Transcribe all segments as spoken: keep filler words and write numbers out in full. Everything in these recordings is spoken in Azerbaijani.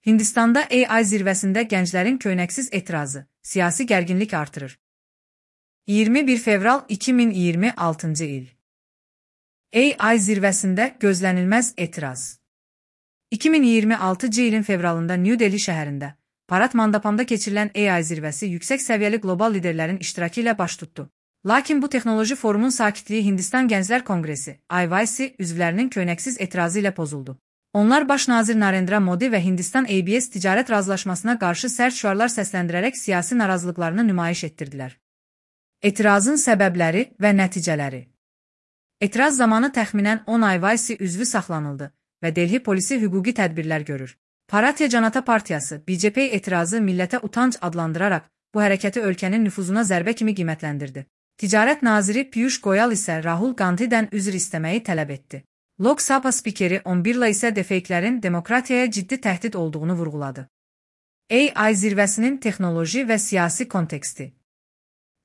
Hindistanda A I zirvəsində gənclərin köynəksiz etirazı, siyasi gərginlik artırır. iyirmi bir fevral iki min iyirmi altıncı il. A I zirvəsində gözlənilməz etiraz. iki min iyirmi altıncı ilin fevralında New Delhi şəhərində, Parad Mandapamda keçirilən A I zirvəsi yüksək səviyyəli qlobal liderlərin iştirakı ilə baş tutdu. Lakin bu texnoloji forumun sakitliyi Hindistan Gənclər Konqresi, I Y C üzvlərinin köynəksiz etirazı ilə pozuldu. Onlar baş nazir Narendra Modi və Hindistan A B S ticarət razılaşmasına qarşı sərt şüarlar səsləndirərək siyasi narazılıqlarını nümayiş etdirdilər. Etirazın səbəbləri və nəticələri. Etiraz zamanı təxminən on I Y C üzvü saxlanıldı və Delhi polisi hüquqi tədbirlər görür. Bharatiya Janata Partiyası, B J P etirazı millətə utanc adlandıraraq bu hərəkəti ölkənin nüfuzuna zərbə kimi qiymətləndirdi. Ticarət naziri Piyush Goyal isə Rahul Gandhidən üzr istəməyi tələb etdi. Lok Sabha spikeri Om Birla isə defektlərin demokratiyaya ciddi təhdid olduğunu vurğuladı. A I zirvəsinin texnoloji və siyasi konteksti.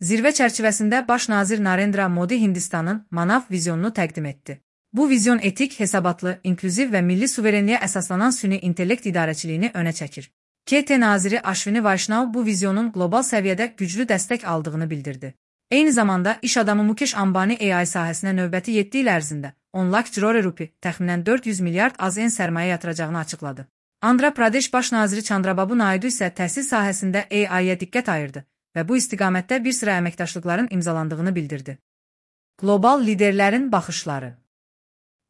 Zirvə çərçivəsində baş nazir Narendra Modi Hindistanın manav vizyonunu təqdim etdi. Bu vizyon etik, hesabatlı, inklüziv və milli suverenliyə əsaslanan süni intellekt idarəçiliyini önə çəkir. K T naziri Ashwini Vaishnav bu vizyonun qlobal səviyyədə güclü dəstək aldığını bildirdi. Eyni zamanda iş adamı Mukesh Ambani A I sahəsinə növbəti yeddi il ərzində on lakh crore rupi, təxminən dörd yüz milyard A Z N sərmayə yatıracağını açıqladı. Andhra Pradesh baş naziri Chandrababu Naidu isə təhsil sahəsində A I-yə diqqət ayırdı və bu istiqamətdə bir sıra əməkdaşlıqların imzalandığını bildirdi. Qlobal liderlərin baxışları.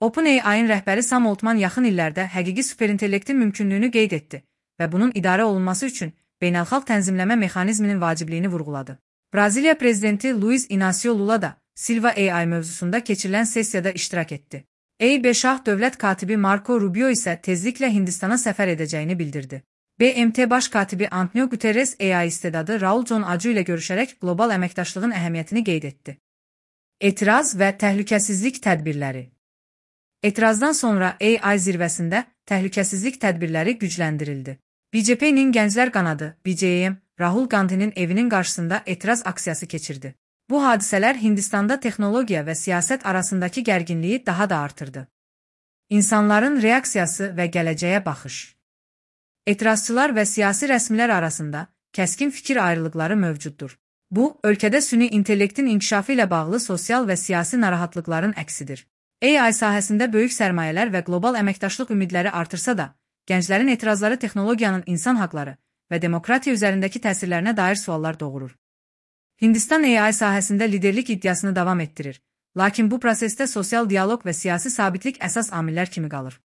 OpenAI-in rəhbəri Sam Altman yaxın illərdə həqiqi superintellektin mümkünlüyünü qeyd etdi və bunun idarə olunması üçün beynəlxalq tənzimləmə mexanizminin vacibliyini vurğuladı. Braziliya prezidenti Luiz Inácio Lula da Silva A I mövzusunda keçirilən sessiyada iştirak etdi. A B Şah dövlət katibi Marco Rubio isə tezliklə Hindistana səfər edəcəyini bildirdi. B M T baş katibi Antonio Guterres A I istedadı Raul John Aju ilə görüşərək qlobal əməkdaşlığın əhəmiyyətini qeyd etdi. Etiraz və təhlükəsizlik tədbirləri. Etirazdan sonra A I zirvəsində təhlükəsizlik tədbirləri gücləndirildi. B J P'nin Gənclər Qanadı, B J M, Rahul Gandhinin evinin qarşısında etiraz aksiyası keçirdi. Bu hadisələr Hindistanda texnologiya və siyasət arasındakı gərginliyi daha da artırdı. İnsanların reaksiyası və gələcəyə baxış. Etirazçılar və siyasi rəsmilər arasında kəskin fikir ayrılıqları mövcuddur. Bu, ölkədə süni intellektin inkişafı ilə bağlı sosial və siyasi narahatlıqların əksidir. A I sahəsində böyük sərmayələr və qlobal əməkdaşlıq ümidləri artırsa da, gənclərin etirazları texnologiyanın insan haqları və demokratiya üzərindəki təsirlərinə dair suallar doğurur. Hindistan A I sahəsində liderlik iddiasını davam etdirir, lakin bu prosesdə sosial dialoq və siyasi sabitlik əsas amillər kimi qalır.